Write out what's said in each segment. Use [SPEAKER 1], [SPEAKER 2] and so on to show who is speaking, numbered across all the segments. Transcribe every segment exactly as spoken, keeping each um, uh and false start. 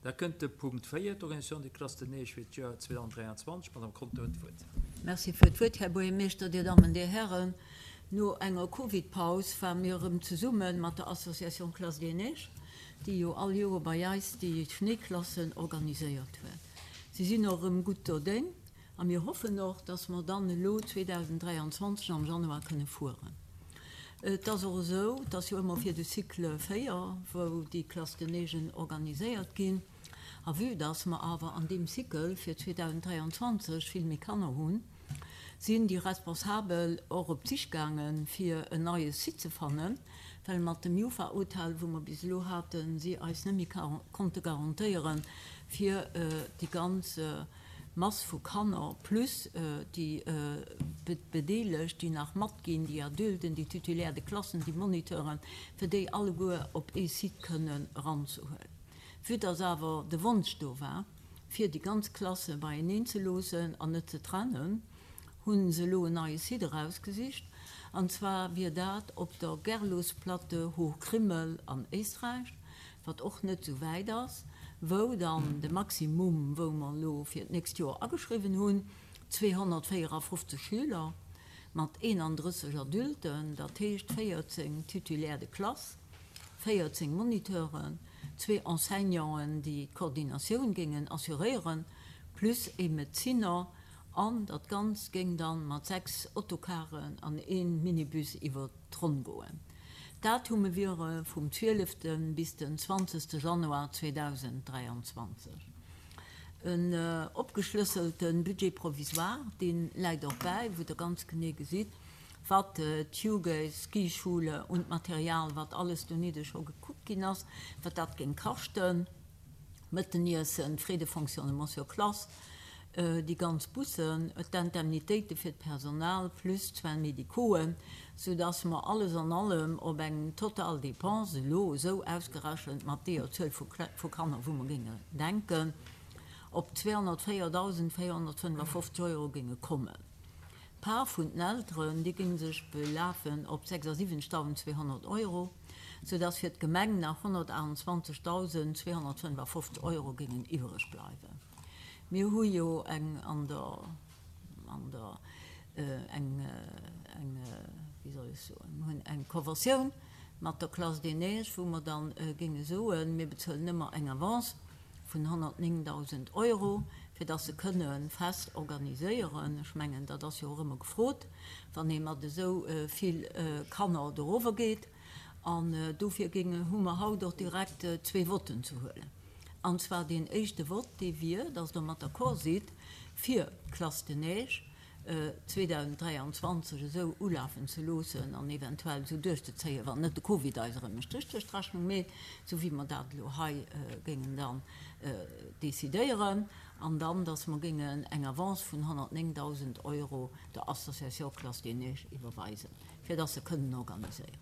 [SPEAKER 1] Da kënnt de Punkt véier, d'Organisation des classes de neige fir d'Joer zweedausenddräianzwanzeg. D'Madame Conter huet d'Wuert.
[SPEAKER 2] Merci fir d'Wuert, Här Buergermeeschter, Dir Dammen, Dir Hären. No enger Covid-Paus ware mir erëm zesumme mat der Association Classes des Neiges, déi jo all Joer bei eis déi Schnéiklassen organiséiert huet. Si sinn och erëm gutt dodéng a mir hoffen och, dass mer dann elo zweedausenddräianzwanzeg am Januar kënne fueren. Et ass och esou, et ass jo ëmmer fir de Cycle véier, wou déi Classes de neigen organiséiert ginn. A vue dass mer awer an deem Cycle fir zweedausenddräianzwanzeg vill méi Kanner hunn, sinn déi Responsabel och op d'Sich gaangen, fir en neie Site ze fannen, well mat dem Jufa-Hotel, wou mer bis elo haten, si eis net méi konnte garantéieren, fir déi ganz Mass vu Kanner plus déi Bedeelegt, déi nach matginn, déi Adulten, déi Titulaires de Klassen, déi Moniteuren, fir déi alleguer op ee Site kënnen eranzehuelen. Vue dass awer de Wonsch do war, fir déi ganz Klasse beieneen ze loossen an net ze trennen, hu se elo en neie Site erausgesicht, an zwar wier dat op der Gerlosplatte Hochkrimmel an Éisträich, wat och net esou wäit ass, wou dann de Maximum, wou mer elo fir d'nächst Joer ageschriwwen hunn, zweehonnertvéierafofzeg Schüler mat eenandrësseg Adulten, dat heescht véierzéng Titulaires de classe, véierzéng Moniteuren, zwee Enseignanten, déi d'Koordinatioun géingen assuréieren, plus ee Medeziner, an dat Ganzt géing dann mat sechs Autocaren an ee Minibus iwwer d'Ronn goen. D'Datume wiere vum zwielefte bis den zwanzegste Januar zweedausenddräianzwanzeg. En opgeschlësselte Budget provisoire, dee läit och bäi, wou Der ganz genee gesitt, wat d'Juge-Skischule und d'Material, wat alles donidde scho gekuckt ginn ass, wat dat géing kaschten, Mëtteniessen, d'Frais de fonctionnement sur classe, déi ganz Bussen, d'Indemnitéite fir d'Personal plus d'Soins médicauxen, soudass mer alles an allem op eng total Dépense elo esou ausgerechent mat deeër Zuel vu Kanner, wou mer géinge denken, op zweehonnertvéierdausendvéierhonnertfënnefafofzeg Euro géinge kommen. D'Part vun den Elteren, déi géing sech belafen op sechsasiwwenzegtausendzweehonnert Euro, soudass fir d'Gemeng nach honnertaachtundzwanzegtausendzweehonnertfënnefafofzeg Euro géingen iwwereg bleiwen. Mir hu jo eng an der, an der, eng, eng, wéi soll ech soen, mir hunn eng Conventioun mat der Classe des Neiges, wou mer dann géinge soen, mir bezuelen ëmmer eng Avance vun honnertnéngdausend Euro, fir dass se kënne fest organiséieren. Ech mengen, dat ass jo och ëmmer gefrot, wann ee mat esou vill Kanner dorower geet. An dofir géinge, hu mer haut och direkt zwee Votten ze huelen. An zwar deen éischte Vott, dee wier, dass Der mat d'accord sidd, fir d'Classe de neige zweedausenddräianzwanzeg esou ulafen ze loossen an eventuell esou duerchzezéien, wann net de Covid eis erëm e Stréch duerch d'Rechnung meet, esou wéi mer dat elo hei géingen dann decidéieren, an dann, dass mer géingen eng Avance vun honnertnéngdausend Euro der Association Classe des Neiges iwwerweisen, fir dass se kënnen organiséieren.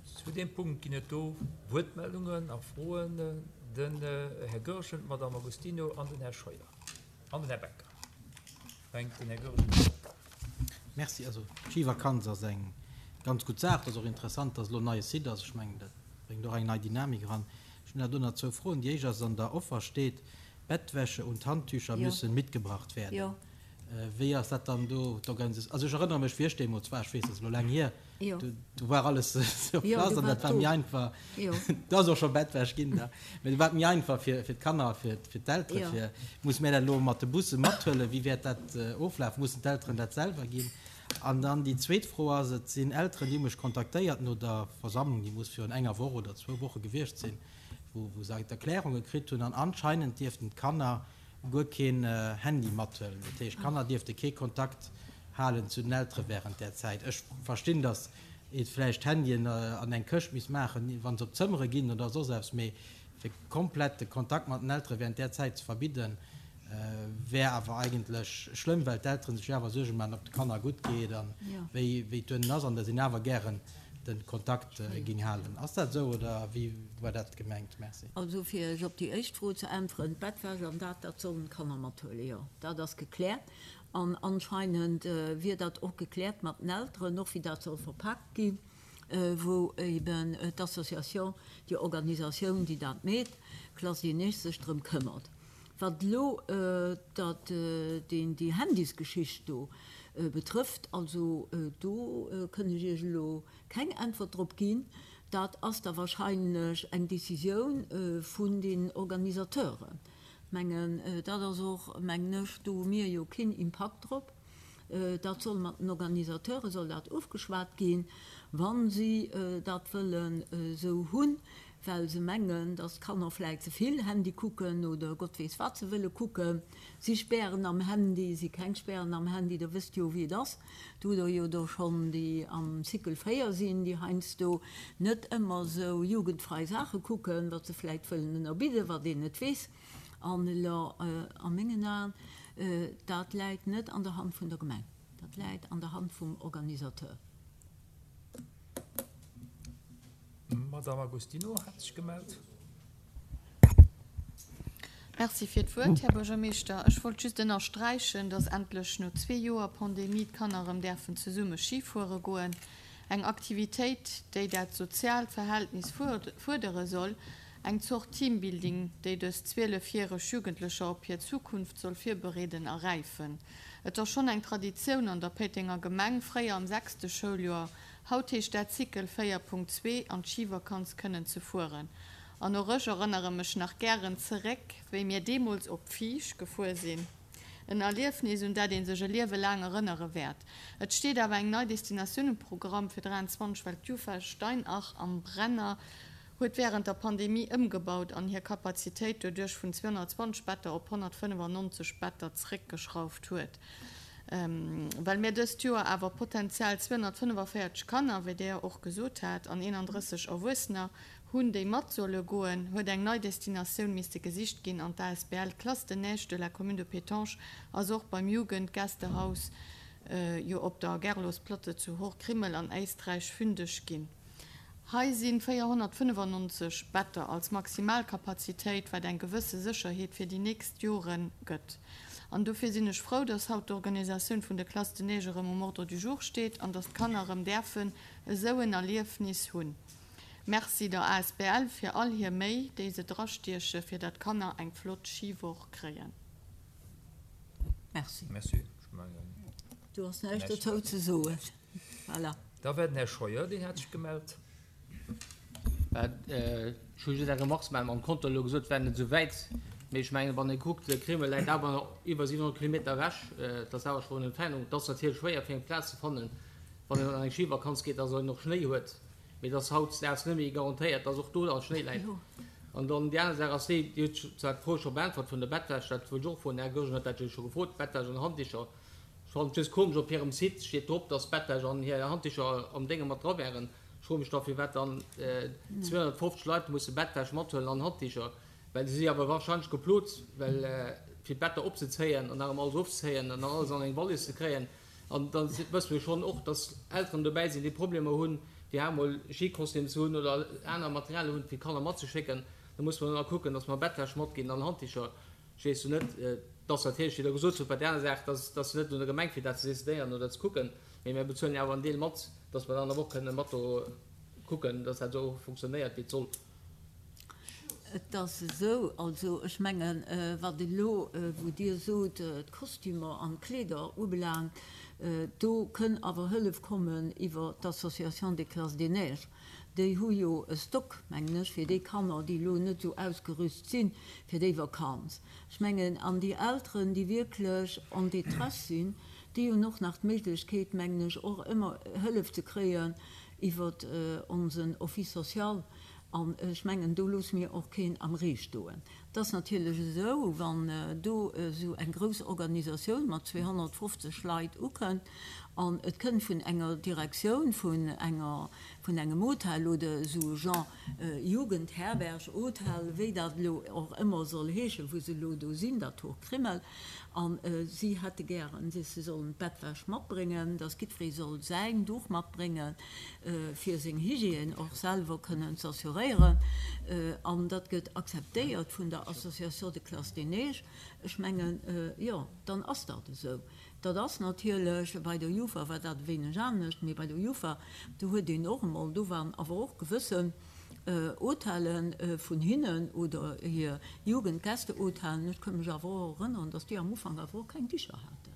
[SPEAKER 1] Zu deem Punkt ginn et do Wuertmeldungen a Froen. Den Här Goergen, d'Madame Agostino an den Här Scheuer an den Här Becker. Fänkt den Här Goergen un.
[SPEAKER 3] Merci. Also d'Schivakanz ass eng ganz gutt Saach. Et ass och interessant, dass elo en neie Site ass. Ech mengen, dat bréngt och eng nei Dynamik eran. Ech hunn awer do nach zwou Froen. Déi éischt ass, an der Offer steet, Bettwäsche und Handtücher müssen mitgebracht werden. Wéi ass dat dann do d'Organisatioun? Also ech erënnere mech, wéi ech deemools war, ech weess, dat ass elo laang hier, do war alles sur place an dat war méi einfach. Do ass och scho Bettwäsch ginn da, mä do war et méi einfach fir d'Kanner a fir d'Eltere. Fir, musse mir dat elo mat de Busse mathuelen? Wéi wäert dat oflafen? Mussen d'Elteren dat selwer ginn? An dann déi zweet Fro ass, Et sinn Elteren, déi hu mech kontaktéiert no der Versammlung, déi muss virun enger Woch oder zwou Woche gewiescht sinn, wou se d'Erklärunge kritt hunn an anscheinend dierften d'Kanner guer keen Handy mathuelen. Dat heescht, d'Kanner dierfte kee Kontakt halen zu den Eltere wärend där Zäit. Ech verstinn, datt ee vläicht d'Handyen an eng Këscht misst maachen, wa se op d'Zëmmere ginn oder soss eppes, mee fir komplett de Kontakt mat den Eltere wärend där Zäit ze verbidden, wär awer eigentlech schlëmm, well d'Eltere sech jo awer Suerge maachen, ob de Kanner gutt geet a wéi et duerno ass, an datt een awer gären de Kontakt ging halen. Ass dat esou oder wéi war dat gemengt? Merci.
[SPEAKER 2] Also fir Iech op déi éischt Fro ze äntweren, D'Bettwäsch an dat, dat sollen d'Kanner mathuelen, jo, dat ass gekläert. An anscheinend wier dat och gekläert mat den Elteren, och wéi dat soll verpaakt ginn. wou eben d'Association, déi Organisatioun, déi dat meet, Classe des Neiges, sech drëm këmmert. Wat elo dat, deen, déi Handysgeschicht do betrëfft, also do kënn ech Iech elo keng Äntwert drop ginn. Dat ass da wahrscheinlech eng Décisioun vun den Organisateuren. Mengen, dat ass och, mengen ech, do hu mir jo keen Impakt drop. Dat soll mat den Organisateure soll dat ofgeschwat ginn, wa si dat wëllen esou hunn, well se mengen, dass d'Kanner vläicht ze vill Handy kucken oder Gott weess wat se wëlle kucken. Si spären am Handy, si keng spären am Handy, der wësst jo wéi et ass. Do hutt der jo der schonn, déi am Cycle véier sinn, déi heiansdo net ëmmer esou jugendfrei Saache kucken, wat se vläicht wëllen ënnerbidden, wat een net weess. An elo a mengen Aen, dat läit net an der Hand vun der Gemeng, dat läit an der Hand vum Organisateur.
[SPEAKER 1] D'Madame Agostino hat sech gemellt.
[SPEAKER 4] Merci fir d'Wuert, Här Buergermeeschter. Ech wollt just ënnersträichen, dass endlech no zwee Joer Pandemie d'Kanner erëm däerfen zesumme Ski fuere goen. Eng Aktivitéit, déi dat soziaalt Verhältnis fuerdere soll. Eng Zort Teambuilding, déi dës zwielefjäreg Jugendlecher op hir Zukunft soll virbereeden a räifen. Et ass schonn eng Traditioun an der Péitenger Gemeng, fréier am sechste Schouljoer, haut heescht dat Cycle véier Punkt zwee, an d'Schivakanz kënnen ze fueren. An och ech erënnere mech nach gären zeréck, wéi mir deemools op Fiesch gefuer sinn. En Erliefnis, un dat ee sech e Liewe laang erënnere wäert. Et steet awer eng nei Destinatioun um Programm fir dräianzwanzeg, well d'Jufa Steinach am Brenner huet wärend der Pandemie ëmgebaut an hir Kapazitéit doduerch vun zweehonnertzwanzeg Better op honnertfënnefannonzeg Better zeréckgeschrauft huet. Well mir dëst Joer awer potenziell zweehonnertfënnefavéierzeg Kanner, wéi Dir och gesot hat, an eenanddrësseg Erwuessener hunn, déi mat solle goen, huet eng nei Destinatioun misste gesicht ginn an d'A S B L Classe de Neige de la Commune de Pétange ass och beim Jugendgästehaus jo op der Gerlosplatte zu Hochkrimmel an Éisträich fündeg ginn. Hei si véierhonnertfënnefannonzeg Better als Maximalkapazitéit, wat eng gewësse Sécherheet fir déi nächst Jore gëtt. An dofir sinn ech frou, dass haut d'Organisatioun vun de Classes de neige erëm um Ordre du jour steet an dass d'Kanner erëm däerfen esou en Erliefnis hunn. Merci der A S B L fir all hir Méi, déi se drastieche fir dat d'Kanner eng flott Schiwoch kréien.
[SPEAKER 2] Merci.
[SPEAKER 1] Merci. Ech mengen,
[SPEAKER 2] Do ass näischt dozou ze soen. Voilà.
[SPEAKER 1] Da war den Här Scheuer, deen hat sech gemellt.
[SPEAKER 5] Ech hu just eng Remarque ze maachen. Mam Konto elo gesot, wär net esou wäit. Mee ech mengen, wann ee kuckt, de Krimmel läit awer nach iwwer siwenhonnert Kilometer ewech. Dat ass awer schonn eng Entfernung. Et ass natierlech schwéier, fir eng Plaz ze fannen, wann een an eng Schivakanz geet, dass een och Schnéi huet. Mee et ass hautdesdaags net méi garantéiert, dass och do dann Schnéi läit. An dann déi aner Saach ass déi, Dir hutt zwar d'Fro scho beäntwert vun der Bettwäsch, dat wollt ech och froen, den Här Goergen huet dat jo scho gefrot, Bettwäsch an Handdicher. Ech fannen et just komesch, op hirem Site steet drop, dass Bettwäsch an hir Handdicher am Dénge mat dra wären. Ech froe mech da, firwat dann zweehonnertfofzeg Leit musse Bettwäsch mathuelen an Handdicher, well se si awer wahrscheinlech geplot, well fir d'Better opzezéien an nach emol alles ofzezéien an dann alles an eng Wallis ze kréien. An da wësse mir schonn och, dass Elteren dobäi sinn, déi Problemer hunn, fir emol Skikostüm ze hunn oder aner Materialien hunn, fir d'Kanner matzeschécken. Da muss mer dann och kucken, dass mer Bettwäsch matginn an Handdicher. Ech weess jo net, dass natierlech, wéi Der gesot hutt, bei där aner Saach, dass dass net un der Gemeng fir dat ze decidéieren oder ze kucken, mee mir bezuelen jo awer en Deel mat, dass mer dann awer och kënnen mat do kucken, dass dat esou funktionéiert, wéi et soll.
[SPEAKER 2] Et ass esou, also ech mengen, wat elo, wou Dir sot, d'Kostümer an d'Kleeder ubelaangt, do kënn awer Hëllef kommen iwwer d'Association des Classes des Neiges. Déi hu jo e Stock, mengen ech, fir déi Kanner, déi elo net esou ausgerüst sinn fir déi Vakanz. Ech mengen, an déi Elteren, déi wierklech en détresse sinn, déi hunn och nach d'Méiglechkeet, mengen ech, och ëmmer Hëllef ze kréien iwwer onsen Office social. An ech mengen, do loosse mir och keen am Ree stoen. Et ass natierlech esou, wann do esou eng grouss Organisatioun mat zweehonnertfofzeg Leit ukënnt an et kënnt vun enger Direktioun vun enger, vun engem Hotel oder esou genre Jugendherberg, Hotel, wéi dat elo och ëmmer soll heeschen, wou se elo do sinn, dat Hochkrimmel, a si hätte gären, se sollen d'Bettwäsch matbréngen, dass jiddweree soll säin Duch matbréngen, fir seng Hygiène och selwer kënnen z'assuréieren, an dat gëtt akzeptéiert vun der Association de Classe des Neiges, ech mengen, jo, dann ass dat esou. Dat ass natierlech, bei der Jufa war dat e wéineg anescht, mee bei der Jufa, do huet een och emol, do waren awer och gewëssen Hotellen vun hinnen oder hir Jugendgästehotellen, ech ka mech awer och erënneren, dass déi am Ufank awer och keng Dicher haten.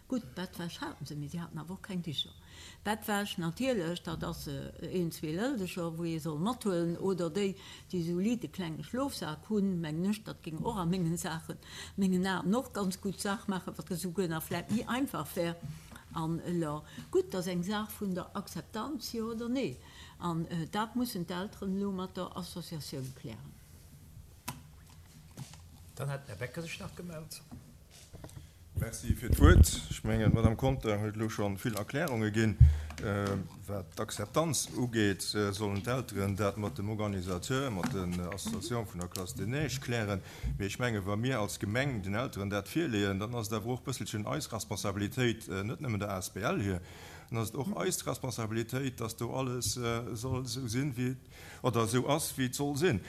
[SPEAKER 2] Gutt, Bettwäsch haten se, mee si haten awer och keng Dicher. Bettwäsch natierlech, dat ass een, zwee Lëldecher, wou ee soll mathuelen, oder déi, déi esou liit e klenge Schlofsak hunn, mengen ech, dat géing och a mengen Saachen, mengen Aen och ganz gutt Saach maachen, wat esouguer nach vläicht méi einfach wär. An elo, gutt, dat ass eng Saach vun der Akzeptanz, jo oder nee. An dat mussen d'Elteren elo mat der Associatioun klären.
[SPEAKER 1] Dann hat den Här Becker sech nach gemellt.
[SPEAKER 6] Merci fir d'Wuert. Ech mengen, d'Madame Conter huet elo scho vill Erklärunge ginn. Wat d'Akzeptanz ugeet, sollen d'Elteren dat mat dem Organisateur, mat den Associatioun vun der Classe des Neiges klären. Mee ech mengen, wa mir als Gemeng den Elteren dat virleeën, dann ass et awer och e bësselchen eis Responsabilitéit, net nëmmen der asbl hir, dann ass et och eis Responsabilitéit, dass do alles soll esou sinn, wéi et, oder esou ass, wéi et soll sinn.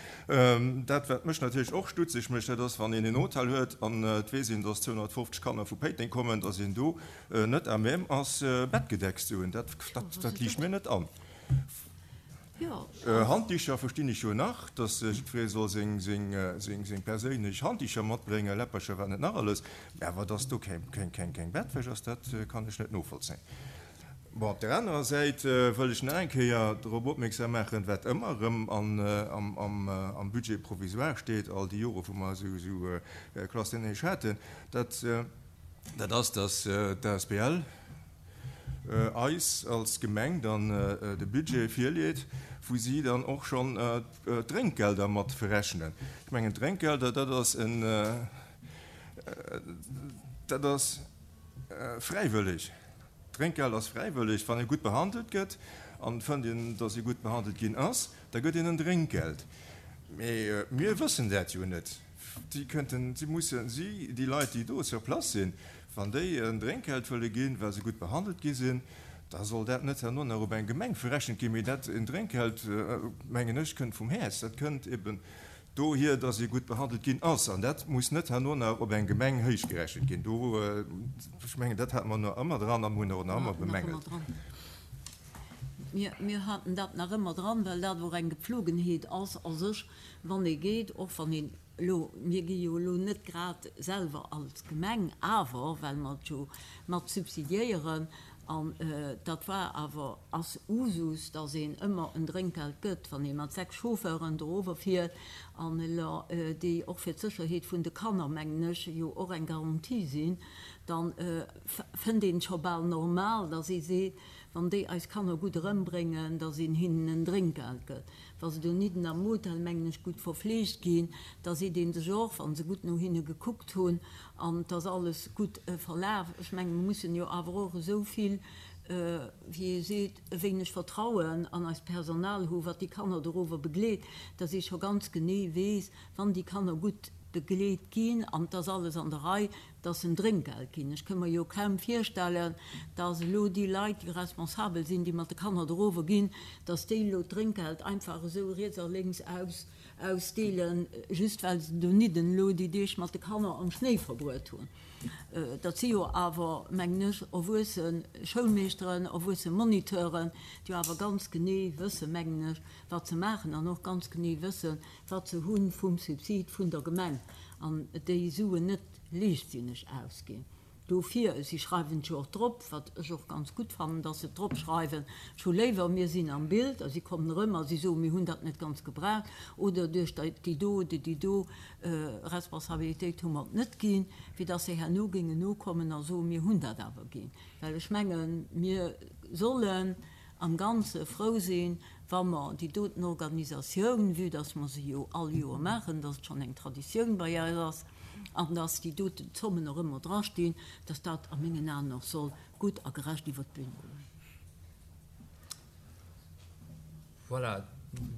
[SPEAKER 6] Dat, wat mech natierlech och stutzeg mécht, dat ass, wann een en Hotel huet an et weess een, dass zweehonnertfofzeg Kanner vu Péiteng kommen, dass een do net à même ass, Bettgedecks ze hunn. Dat, dat, dat liicht mir net an. Handdicher verstinn ech jo nach, dass jiddweree soll seng, seng, seng, seng perséinlech Handdicher matbréngen, Läppercher, wat net nach alles, mä awer dass do keng, keng, keng, keng Bettwäsch ass, dat kann ech net novollzéien. Bon, op där anerer Säit wëll ech nach eng Kéier drop opmierksam maachen, wat ëmmer erëm an, am, am, am Budget provisoire steet, all déi Jore wou mer esou, esou Classe des Neiges haten, dat, dat ass, dass d'asbl eis als Gemeng dann de Budget virleet, wou si dann och schonn d'Drénkgelder mat verrechnen. Ech mengen, d'Drénkgelder, dat ass en, dat ass fräiwëlleg. D'Drénkgeld ass fräiwëlleg. Wann ee gutt behandelt gëtt an et fënnt een, datt ee gutt behandelt ginn ass, da gëtt een en Drénkgeld. Mee mir wëssen dat jo net. Si kënnten, si mussen, si, déi Leit, déi do sur place sinn, wann déi en Drénkgeld wëlle ginn, well se gutt behandelt gi sinn, da soll dat net herno nach op eng Gemeng verrechent ginn, mee dat, en Drénkgeld, mengen ech, kënnt vum Häerz, dat kënnt eben dohier, dass ee gutt behandelt ginn ass, an dat muss net herno nach op eng Gemeng héichgerechent ginn. Do, ech mengen, dat hate mer nach ëmmer dran a mir hunn och nach ëmmer bemängelt.
[SPEAKER 2] Mir, mir haten dat nach ëmmer dran, well dat och eng Gepflogenheet ass a sech, wann ee geet, och wann een elo, mir gi jo elo net grad selwer als Gemeng, awer well mer et jo mat subsidiéieren, an dat war awer, ass Usus, dass een ëmmer en Drénkgeld gëtt, wann ee mat sechs Chauffeuren dorower fiert, an elo déi och fir d'Sécherheet vun de Kanner, mengen ech, jo och eng Garantie sinn, da fënnt een et scho bal normal, dass ee seet, wann déi eis Kanner gutt erëmbréngen, dass een hinnen en Drénkgeld gëtt. Wa se donidden am Hotel, mengen ech, gutt verfleegt ginn, da seet ee sech och, wa se gutt no hinne gekuckt hunn an et ass alles gutt verlaf. Ech mengen, mir mussen jo awer och esou vill, wéi ee seet, e wéineg Vertrauen an eist Personal hu wat déi Kanner dorower begleet, dass ee scho ganz genee weess, wann déi Kanner gutt begleet ginn an et ass alles an der Rei, dass se en Drénkgeld ginn. Ech ka mer jo kaum virstellen, dass elo déi Leit, déi responsabel sinn, déi mat de Kanner dorower ginn, dass déi elo d'Drénkgeld einfach esou riets a lénks aus ausdeelen, just well se donidden elo déi Deeg mat de Kanner am Schnéi verbruet hunn. Dat si jo awer, mengen ech, erwuesse Schoulmeeschteren, erwuesse Moniteuren, déi jo awer ganz genee wëssen, mengen ech, wat se maachen an och ganz genee wëssen, wat se hu vum Subsid vun der Gemeng an déi Suen net liichtsinneg ausginn. Dofir, si schreiwen et jo och drop, wat ech och ganz gutt fannen, dass se et drop schreiwen, ech hu léiwer, mir sinn am Bild a si kommen erëm a si soen, mir hunn dat net ganz gebraucht oder duerch déi do oder déi do Responsabilitéit hu mer et net ginn, wéi dass se herno géingen nokommen a soen, mir hunn dat awer ginn. Well ech mengen, mir sollen am Ganze frou sinn, wa mer déi doten Organisatioun, vue dass mer se jo all Joer maachen, dass et schonn eng Traditioun bei eis ass, an dass déi doten Zommen och ëmmer drastinn, dass dat a mengen Aen och soll gutt a gerecht iwwert d'Bün goen.
[SPEAKER 1] Voilà,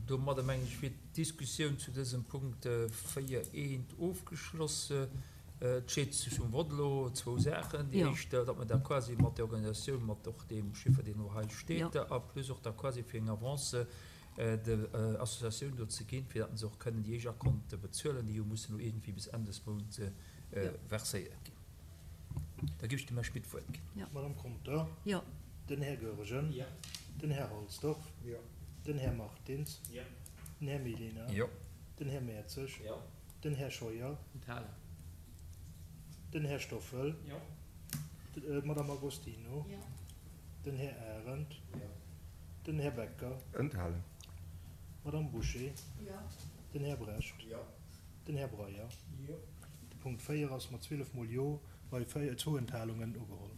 [SPEAKER 1] domadder mengen ech wier d'Diskussioun zu dësem Punkt véier eent ofgeschloss. Et steet sech um Vott elo zwou Saachen. Déi éischt, datt mer da quasi mat der Organisatioun, mat och deem Chiffer, deen elo hei steet, a plus och da quasi fir eng Avance der Associatioun do ze ginn, fir datt se och kënnen déi éischt Akonte bezuelen, déi jo mussen elo iergendwéi bis Enn des Mounts verséiert ginn. Da géif ech dem Här Schmit d'Wuert ginn.
[SPEAKER 2] Jo.
[SPEAKER 7] D'Madame Conter.
[SPEAKER 2] Jo.
[SPEAKER 7] Den Här Goergen.
[SPEAKER 5] Jo.
[SPEAKER 7] Den Här Halsdorf.
[SPEAKER 5] Jo.
[SPEAKER 7] Den Här Martins.
[SPEAKER 5] Jo.
[SPEAKER 7] Den Här Mellina.
[SPEAKER 1] Jo.
[SPEAKER 7] Den Här Mertzig.
[SPEAKER 5] Jo.
[SPEAKER 7] Den Här Scheuer.
[SPEAKER 5] Enthalen.
[SPEAKER 7] Den Här Stoffel.
[SPEAKER 5] Jo.
[SPEAKER 7] D'Madame Agostino.
[SPEAKER 4] Jo.
[SPEAKER 7] Den Här Arendt.
[SPEAKER 5] Jo.
[SPEAKER 7] Den Här Becker.
[SPEAKER 6] Enthalen.
[SPEAKER 7] D'Madame Bouché.
[SPEAKER 2] Jo.
[SPEAKER 7] Den Här Brecht.
[SPEAKER 5] Jo.
[SPEAKER 7] Den Här Breyer.
[SPEAKER 5] Jo.
[SPEAKER 7] De Punkt véier ass mat zwielef Mol Jo bei zwou Enthalungen ugeholl.